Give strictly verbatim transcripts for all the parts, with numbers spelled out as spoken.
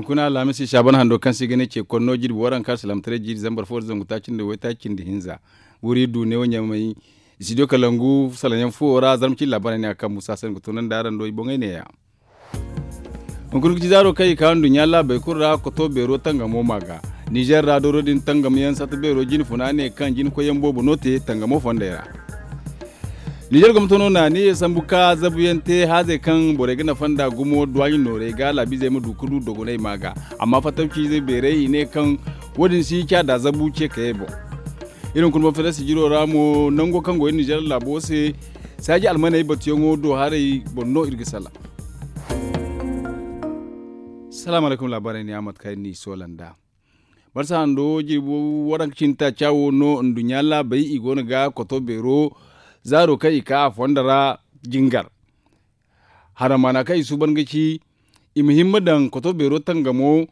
Kuna alhamisi saaban hando kaŋ se i ga ne ce konno jirbi waranka alsilaamataray jiiri zambar fo da zangu taaci nda waytaaci nda hinza. Wuri du ne wo ɲamay. Studio kalangu salaŋ yaŋ fuwo ra zarma cindi laabaarey ne a kaŋ musa se nga tunandi araŋ do i boŋey neeya. Hunkuna ga ci zaaro kaŋ i ka nduɲɲa laabey kulu ra koto beero tangamo ma ga. Nizer ra dooro din tangam yaŋ sata beero jine funa ne kaŋ jine koyyaŋ boobo no te tangamo fondey ra. Nizer gomnato no na ne sambu ka zabu yaŋ te haazey kaŋ borey ga nafa nda gumo duwaaɲi noorey ga laabiizey ma du ga du dogonay ma ga. Amma fattawciizey beerey i ne kaŋ wo- din si caada zabu ce kayey boŋ. Iri hunkuna boŋ fere sijiro ra mo nango kaŋ go iri nizer laabo se saaji almaney batuyaŋo do haray boŋ no iri ga sala. Salaamu alaykum laabaarey ne a mate kaŋ iri n'i soola nd'a. Marsa hando jirbi waranka cindi taaca wo no nduɲɲa laabey i go no ga koto beero zaaro kaŋ i ka a fondo ra jingar. Haramaana kaŋ i suuban ga ci i ma himma daŋ koto beero tangamo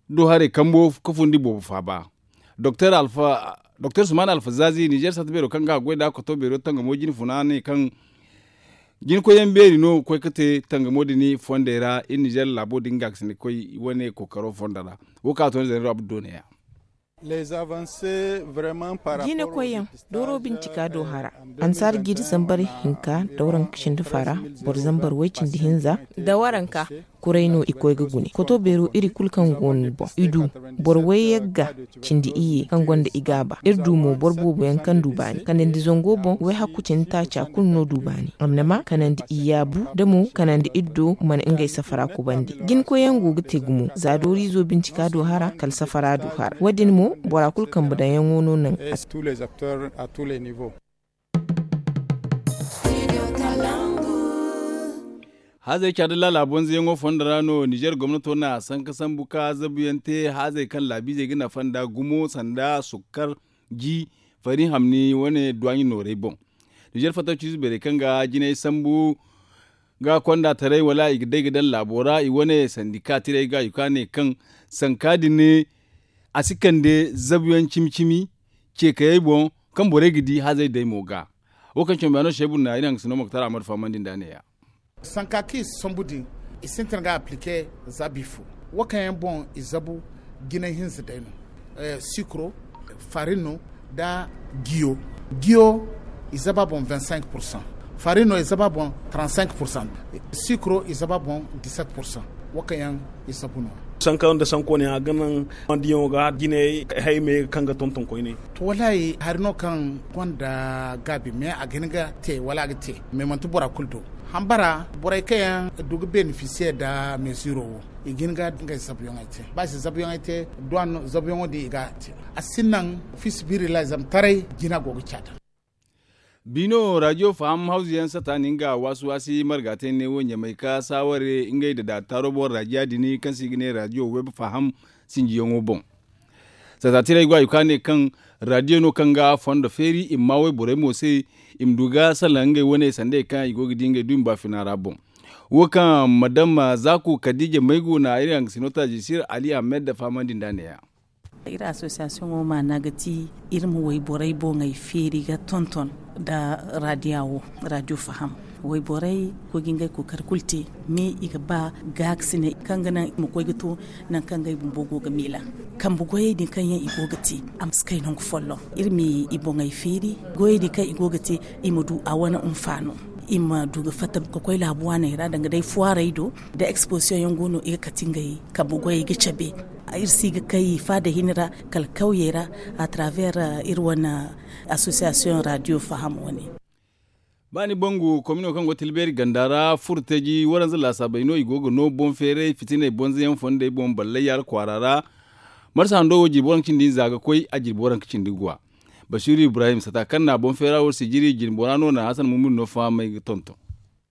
do haray kambo ka fundi boobo faaba. Doktor suman alfazaazi nizer sata beero kaŋ ga a goy nd'a koto beero tangamo jine funa ne kaŋ jine koyyaŋ beeri no ga koy ga te tangamo din fondey ra iri nizer laabo din ga ga sine ga koy wane kookaro fondo ra. Wo kaŋ a to ni zaniro abdu do neeya. Jine koyyaŋ dooro bincika do hara ansaara jiiri zambar hinka da waranka cindi fara boro zambar way cindi hinza da waranka kuray no i koy ga gune koto beero iri kulu kaŋ go no boŋ i du boro way yagga cindi iyye kaŋ gonda i gaaba iri du mo boro boobo yaŋ kaŋ du baani kanandi zango boŋ way hakku cindi taaca kulu no du baani amma kanandi i yaabu da mo kanandi iddo mana ngey safara kubandi jine koyyaŋ go ga te gumo za dooriizo bincika do hara kala safara du hara wo- din mo bora kulu kambe daŋyaŋo no naŋ. Haazey caada laala bonzoyaŋo fondo ra no nizer gomnato na sanka sambu ka zabuyaŋ te haazey kaŋ laabiizey ga nafa nda gumo sanda sukkar ji fari hamni wane duwaaɲi noorey boŋ. Nizer fattawciize beerey kaŋ ga jinay sambu ga konda taray wala i ga day ga daŋ laabo ra i wane sandika tirey ga i ka ne kaŋ sanka din a si kande zabuyaŋ cimi cimi ceekayey boŋ kaŋ borey ga di hazey day mo ga. Wo kaŋ cambe a no seebu na iri haŋ ga sino moktar ahmad fahamandi nda a ne ya. Sanka kaŋ i si sambu din i sintin ga aplike za bifo wo kaŋ yaŋ boŋ i zabu jinay hinza day no. Sikro, farino, nda giyo. Giyo i zaba boŋ vingt cinq pourcent. Farino i zaba boŋ trente cinq pourcent. Sikro i zaba boŋ dix sept pourcent. Wo kaŋ yaŋ i zabu no. Sanka nda sanko ne a ga naŋ diyaŋo ga jinay hayme kaŋ ga tonton koyne. To wallaahi hari no kaŋ gonda gaabi mais a ga hin ga te wala a ga te mais manti bora kulu do. Hambara borey kaŋ yaŋ du ga benefisiye nda mesiro wo i ga hin ga ngey zabuyaŋey te ba i si zabuyaŋey te duwan zabuyaŋo din i ga te. A si naŋ fi sibirillahi zama taray jina go ga caada. Biino radio faham hawzu yaŋ sata nin ga waasi waasi marga te ne wo ɲamay ka saaware ngey da daataaro boŋ radio din kaŋ se i ga ne radio web faham sinjiyaŋo boŋ. Sata tiray go a ga ka ne kaŋ radio no kaŋ ga fondo feeri i ma ma wayborey mo se i ma du ga salaŋ ngey wane sandey kaŋ i go ga di ngey du i ma ba fina ra boŋ. Wo kaŋ madam zaku kadija maygu na iri haŋ ga sino taajisir ali ahmed fahamandi nda neeya. Iri asosiyasiyoŋo maana ga ti iri ma wayborey boŋey feeri ga tonton nda radiya wo. Radiyo faham wayborey koy ga ngey kookari kulu te mais i ga ba gaakasinay kaŋ ga naŋ i ma koy ga to nangu kaŋ ngey bumbo go ga miila kambe goyey din kaŋ yaŋ i go ga te. A ma si kay nangu folloŋ iri ma i boŋey feeri goyey din kaŋ i go ga te i ma du a wane hinfaano. I ma du ga fatta ka koy laabu waaney ra danga day fuwaarey do da eksposisiyoŋ yaŋ go no i ga kate ngey kambe goyey ga cabe. Iri si ga kay faada hini ra kala kawyey ra a travers iri wane asosiyasiyoŋ radiyo faham wane. Ba ni bangu komino kaŋ go tilbeeri ganda ra furtaji waranza laasaabey no i go ga no boŋ feeray fitiney bonza yaŋ fondey boŋ ballay yaara kwaara ra. Marsa hando wo jirbi waranka cindi hinza ga koy a jirbi waranka cindi guwa. Basiiru ibrahim sata kaŋ na boŋ feera wo sijiri jirbi bora no na hasan mumir no fahamay ga tonton.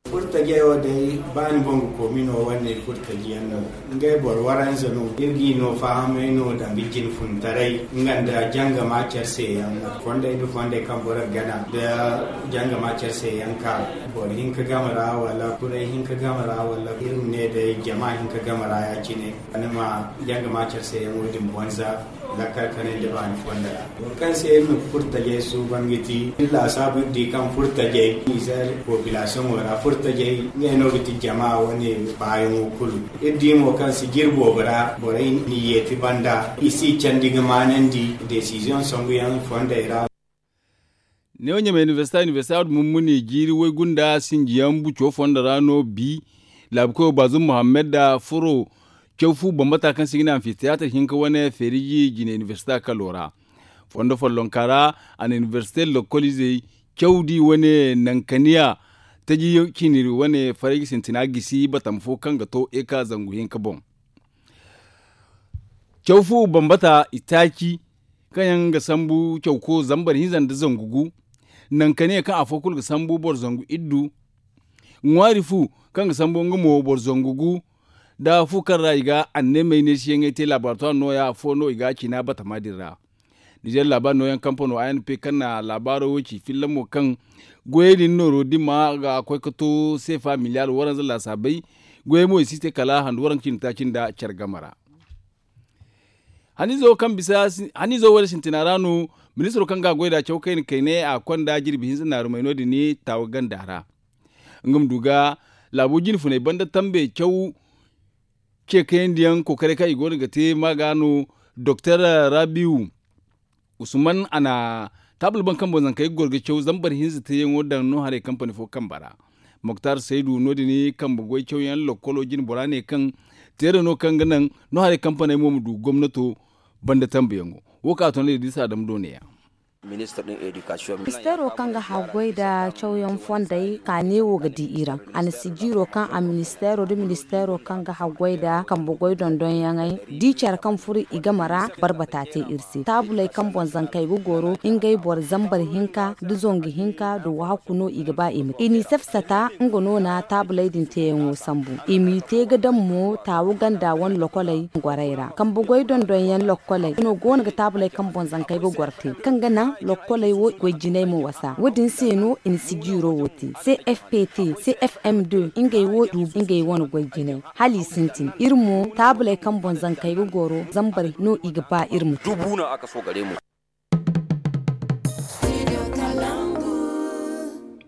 Furtajey wo day ba ni boŋ ga koomino wane furtaji yaŋ no. Ngey boro waranza no iri g'i no fahamay no danga jinfuntaray nga nda jangama care se yaŋ. Fondey nda fondey kaŋ boro ga gana nda jangama care se yaŋ ka boro hinka game ra wala kuray hinka game ra wala iri ma ne day jama hinka game ra ya- cine. Ni ma jangama care se yaŋ wo- din bonza. Lakkal kanay da baani fondo ra, boro kaŋ se iri na furtajey suuban ga ti iri laasaabu iri di kaŋ furtajey nizer populasiyoŋo ra furtajey ngey no ga ti jama wane baayaŋo kulu. Iri di mo kaŋ sijiri boobo ra borey n'i yeeti banda i si candi ga maanandi desiziyoŋ sanguyaŋ fondey ra. Neewo ɲamey inibersita inibersita wadda mummuni jiiri waygunda sinjiyaŋ buco fondo ra no bi laabu koyo baazum muhammad da furo caw fu bambata kaŋ se i ga ne anfiteyaatar hinka wane feeriji jine inibersita kalo ra. Fondo follonka ra a na inibersite lokkol izey caw di wane nankaniya taji ciini wane faray ga sintina gisi batama fo kaŋ ga to eka zangu hinka boŋ. Caw fu bambata itaaci kaŋ yaŋ ga sambu cawko zambar hinza nda zangu gu. Nankaniya kaŋ afo kulu ga sambu boro zangu iddu. Ŋwaari fu kaŋ ga sambu nga mo boro zangu gu. Da fu kaŋ ra i ga anneemey neesiyaŋey te laabaari to a nooya afo no i ga a ciina batama din ra. Nizer laabaari nooyaŋ kampano a n p kaŋ na laabaaro wo ci filla mo kaŋ goyey din nooro dimma ga koy ga to seefa miliyaar waranza laasaabey. Goyey mo i si te kala handu waranka cindi taaci nda care game ra. Haniizo kaŋ bisa haniizo wane sintina ra no ministiro kaŋ ga a goy nd'a caw kayna kayne a konda jirbi hinza naarumey no- din taawa ganda ra. Nga ma du ga laabo jine funey banda tambe caw ce kayandiyaŋ kookaray kaŋ i go no ga te ma ga no doktor rabiu usman a na taabul baŋ kaŋ boŋ zankey ga goro ga caw zambar hinza teeyaŋo daŋ no haray kampani fo kambe ra. Moktar saydu no- din kambe goy cawyaŋ lokkolo jine bora ne kaŋ teera no kaŋ ga naŋ no haray kampaney mo ma du gomnato banda tambuyaŋo. Wo kaŋ a to no da i disa dama do ne- ya. Ministaro kaŋ ga haggoy nda cawyaŋ fondey ka neewo ga di i ra. A na sijiiro kaŋ a ministaro nda ministaro kaŋ ga haggoy nda kambe goy dondonyaŋey di care kaŋ furo i game ra barbata te iri se taabuley kaŋ boŋ zankey ga goro ngey boro zambar hinka nda zangu hinka nda wahakku no i ga ba i ma te i n'i safsata. Nga no na taabuley din teeyaŋo sambu i m'i te ga daŋ mo taawu ganda wane lokoley gorey ra kambe goy dondonyaŋ lokoley no go no ga taabuley kaŋ boŋ zankey ga goro te kaŋ ga naŋ lokoley wo goy jinay ma wasa wo- din se no i na sijiiro wo te cfpt cfm deux ngey wo du ngey wane goy jinay hala i sintin iri mo taabuley kaŋ boŋ zankey ga goro zambar no i ga ba iri ma te.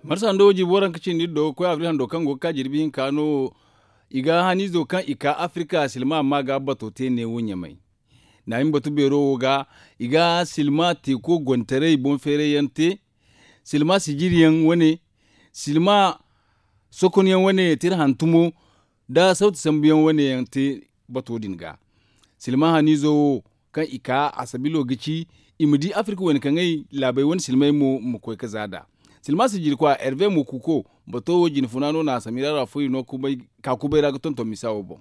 Marsa hando jiibi waranka cindi iri do ga koy abril hando kaŋ go ga ka jirbi hinka no i ga haniizo kaŋ i ka afirika silma amma ga bato te neewo ɲamay. Naahim batu beero wo ga i ga silma teeko gontaray boŋ feeray yaŋ te. Silma sijiri yaŋ wane silma sokon yaŋ wane tira hantumo da sawti sambu yaŋ wane yaŋ te bato din ga. Silma haniizo wo kaŋ i ka a sabilo ga ci i ma di afirka wayna kaŋ ay laabey wane silmey mo ma koy ga za nd'a. Silma sijiri kwa herve mo kuuko bato wo jine funa no na a samira ra fo i no ka kubay ra ga tonton misa wo boŋ.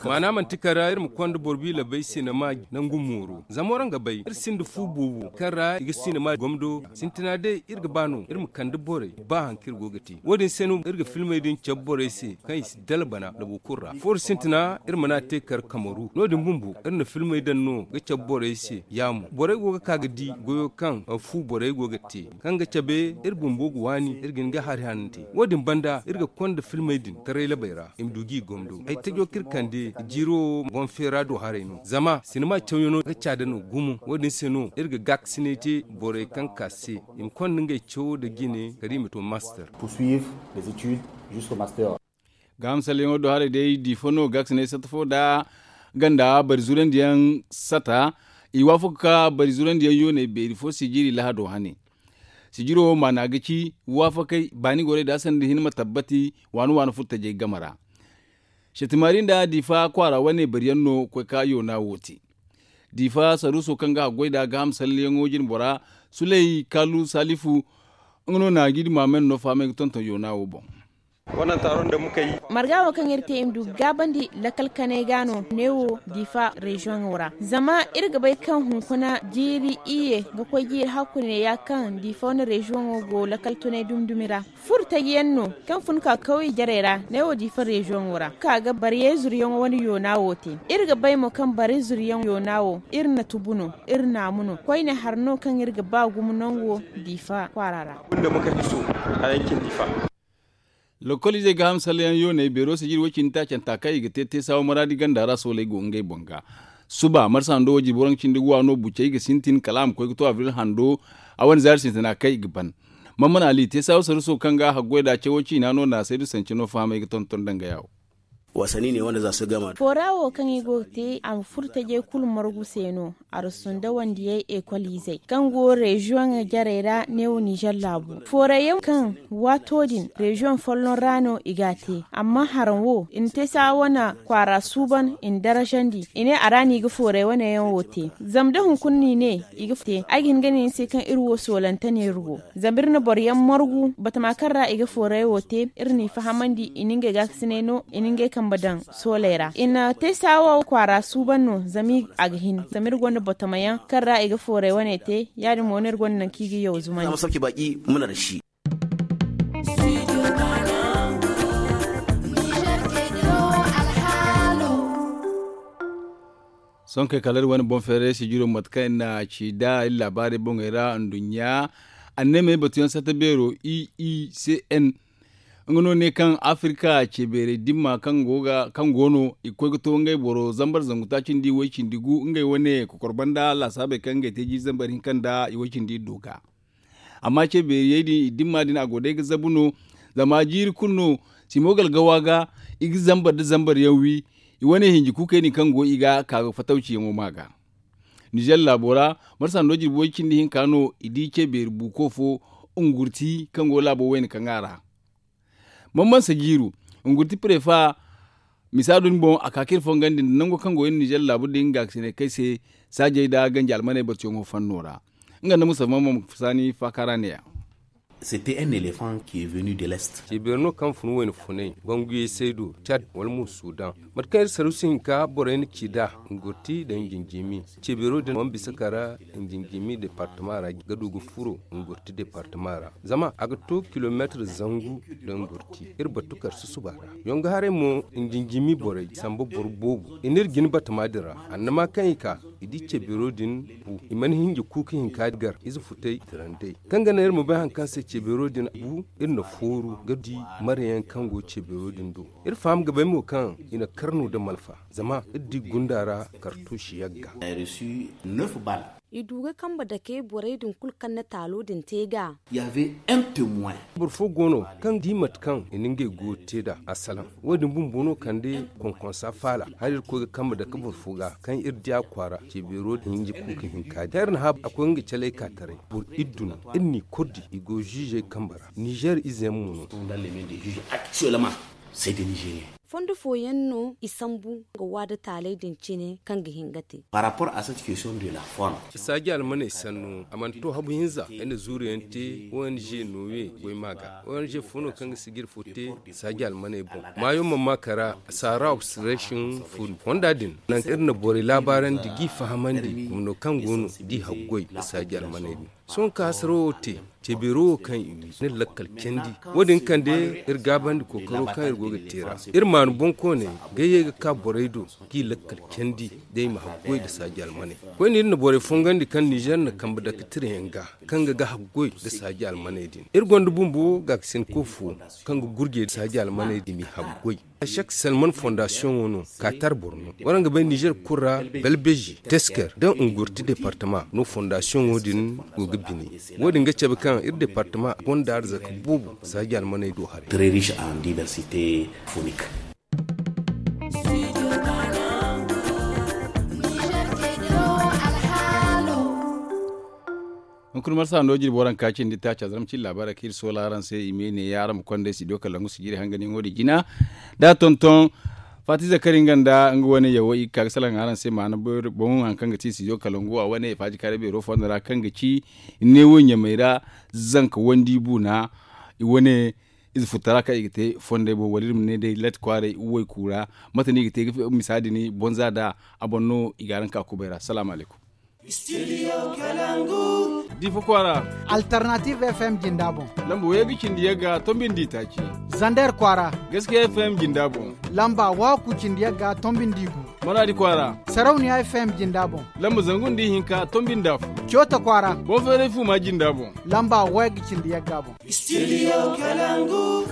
Maana manti kara iri ma konda boro biila bay sinema nangu mooro zama waraŋ ga bay iri sinda fu boobo kaŋ ra i ga sinema gomdo sintina day iri ga ba no iri ma kande borey ba hari kaŋ iri go ga te wo- din se no iri ga filmey din cabe borey se kaŋ i si dala bana labo kulu ra foori sintina iri mana te kar kamaru no- din bumbo iri na filmey daŋ no ga cabe borey se yaamo borey go ga ka ga di goyo kaŋ fu borey go ga te kaŋ ga cabe iri bumbo ga waani iri ga hin ga hari hanante wo- din banda iri ga konda filmey din taray labey ra i ma du g'i gomdo ay tajo kaŋ iri kande jiiro boŋ feera do haray no zama sinima cawyaŋo ga caada no gumo wo- din se no iri ga gaakasinay te borey kaŋ ka se i ma konda ngey cawo nda jine kala i ma to master. Gaaham salleyaŋo do haray day diifa no gaakasinay satta fo nda ganda bari zurandiyaŋ satta i waafaka ka bari zurandiyaŋ yooney beeri fo sijiri lahado hane. Sijiro maana ga ci waafakay baani gorey da sanda hinne ma tabbati waani waani furtajey game ra. Setimaari nda diifa kwaara wane bariyaŋ no koy ka yoona wo te. Diifa saruuso kaŋ ga haggoy nd'a gaaham salliyaŋo jine bora suley kaalu saalifu nga no na jiidi maamen no fahamay ga tonton yoona wo boŋ. Marga wo kaŋ iri te i ma du ga gaabandi lakkal kanay ga no neewo diifa reziyoŋo ra zama iri ga bay kaŋ hunkuna jiiri iyye ga koy jiiri hakku neeya kaŋ diifa wane reziyoŋo go lakkal tunay dumi-dumi ra. Furo taji yaŋ no kaŋ fun ka kawye jarey ra neewo diifa reziyoŋo ra ka ga bariyey zuriyaŋo wane yoona wo te. Iri ga bay mo kaŋ bariyey zuriyaŋ yoona wo iri na tubu no iri naamu no koyne hari no kaŋ iri ga ba gumo nango diifa kwaara ra. Lokol izey ga hamsalyaŋ yooney beero sijiri way-cindi taacanta kaŋ i ga te teesaawa maraadi ganda ra sooley go ngey boŋ ga. Suba marsa hando wo jirbi waranka cindi guwa no bucey ga sintin kala a ma koy ga to abril hando. A wane zaari sintina kaŋ i ga ban. Mamman ali teesaawa saruso kaŋ ga haggoy da cawo ciina no naasaydu sanci no fahamay ga tonton danga yaawo. Foora wo kaŋ i go ga te a ma furo tajey kulu margu se no. Arasunda wandiyey ekol izey kaŋ go reziyoŋ jarey ra neewo nizer laabu fooray yaŋ kaŋ waato din reziyoŋ folloŋ ra no i g'a te. Amma haraŋ wo i na te saa wane kwaara suuban i na darajandi i ne a ra no i ga fooray wane yaŋ wo te. Zama da hunkuna no i ne i ga te ay ga hin ga ne ni se kaŋ iri wo soolante no iri go. Zama iri na boro yaŋ margu batama kaŋ ra i ga fooray wo te iri n'i fahamandi i na ngey gaakasinay no i na ngey kambe daŋ sooley ra i na te saawa kwaara suuban no zama a ga hin zama iri gonda batama yaŋ kaŋ ra i ga fooray wane te. Ya- din mo no iri gonda nangu kaŋ i ga yaw zumandi. Sohõ kay kala iri wane boŋ feeray sijiro mate kaŋ iri na ci nd'a iri laabaarey boŋey ra nduɲɲa. Anneemey batuyaŋ satta beero i i c n nga no ne kaŋ afirka ce beerey dimma kaŋ go no i ga koy ga to ngey boro zambar zangu taaci nda i way cindi gu ngey wane kokor banda laasaabey kaŋ ngey te jiiri zambar hinka nda i way cindi iddo ga. Amma ce beeriyey din i dimma din a go day ga zabu no. Zama jiiri kulu no simo galgawa ga i ga zambar nda zambar yaŋ wi. I wane hinji kuukey din kaŋ go i ga ka ga fatawciyaŋo ma ga. Nizer laabo ra marsa hando jirbi way cindi hinka no i di ce beeri buuko fo ngurti kaŋ go laabo wayna kaŋ a ra. Mamman sajiiru ngurti prefa misa din boŋ a ka ka iri fongandi nda nango kaŋ go iri nizer laabu din gaakasinay kay se saajey nda ganji almaney batuyaŋo fanno ra. Nga nda musa mamman saani faaka ra ne- ya. C'était un éléphant qui est venu de l'est. Ce beero no kaŋ fun wayna funay gonguyey saydo cad wala mo sudan. Mate kaŋ iri sarusi hinka borey na ci nd'a ngurti nda njinjimi. Ce beero din mana bisa kara njinjimi departama ra ga du ga furo ngurti departama ra zama a ga to kilomeetir zangu nda ngurti. Iri batu kar susuba ra yongo haray mo njinjimi borey samba boro boobo i n'iri jin batama din ra. Annama kaŋ i ka i di ce beero din bu i mana hinja kuuka hinka gar ize futay tirandey kaŋ ga naŋ iri ma bay hari kaŋ se ce beero din bu. Iri na fooru ga di marayaŋ kaŋ go ce beero din do. Iri faham ga bay mo kaŋ i na karno nda malfa zama iri di gunda ra kartuusi yagga. I du ga kambe dake borey din kulu kaŋ na taalo din te ga. Boro fo go no kaŋ di mate kaŋ i na ngey goyo te nd'a a salaŋ. Wo- din bumbo no kande konkonsa faala hala iri koy ga kambe dake boro fo ga kaŋ iri di a kwaara ce beero din hinji kuuka hinka din kaŋ iri na hã a koy nga caley ka taray boro iddu no. Iri n'i kordi i go ziizey kambe ra nizer ize yaŋ mo no. Fondo fooyaŋ no i sambu ga waada taaley din cine kaŋ ga hin ga te. Saaji almaney sanno a mana to habu hinza ay na zuuru yaŋ te ong nooye goy ma ga ong fo no kaŋ ga sijir fo te. Saaji almaney boŋ maayo mana ma kara saara observation fo fonda din nangu kaŋ iri na borey laabaarandi g'i fahamandi gumno kaŋ go no d'i haggoy nda saaji almaney din. Sohõ ka hasarawo te ce beero wo kaŋ i wi n'iri lakkal candi. Wo- din kande iri gaabandi kookaro kaŋ iri go ga te ra. Iri maanu boŋkooney ga ye ga ka borey do g'i lakkal candi day ma haggoy nda saaji almaney. Koyne iri na borey fongandi kaŋ nizer na kambe dake tirayaŋ ga kaŋ ga ga haggoy nda saaji almaney din. Iri gonda bumbo gaakasinko fo kaŋ ga gurjey nda saaji almaney din m'i haggoy. Sek selman fondasiyoŋo no kaatar boro no. Waraŋ ga bay nizer kulu ra balbeji tesker nda ngurti departama no fondasiyoŋo din go ga bine. Wo- din ga cabe kaŋ iri departama gonda arzaka boobo saaji almaney do haray. Très riche en diversité phonique. Hunkuna marsa hando jirbi waranka cindi taaci a zarma cindi laabaarey kaŋ iri soola araŋ se i ma ye neeya araŋ ma konda ay studio kalangu sijiri hanganyaŋo din jina. Da tonton faati zakari nga nda nga wane yawo i ga ka ga salaŋ araŋ se maana boŋ hari kaŋ ga ti studio kalangu a wane faaji kaaray beero fondo ra kaŋ ga ci neewo ɲamey ra. Zanka wandi buuna i wane ize futtara kaŋ i ga te fondey boŋ wala iri ma ne day lati kwaaray wayku ra. Mate no i ga te ga misa din bonza nd'a a boŋ no i ga araŋ ka kubay ra salaamu alaykum. Difa kwaara. Alternative f m jinda boŋ. Lamba wayga cindi yagga tombi nda itaaci. Zander kwaara. Gaskiya f m jinda boŋ. Lamba waku cindi yagga tombi nda igu. Maraadi kwaara. Sarauniya f m jinda boŋ. Lamba zangu nda ihinka tombi nda afo. Coota kwaara. Boŋ feeray fuuma jinda boŋ. Lamba wayga cindi yagga boŋ. Studio kalangu.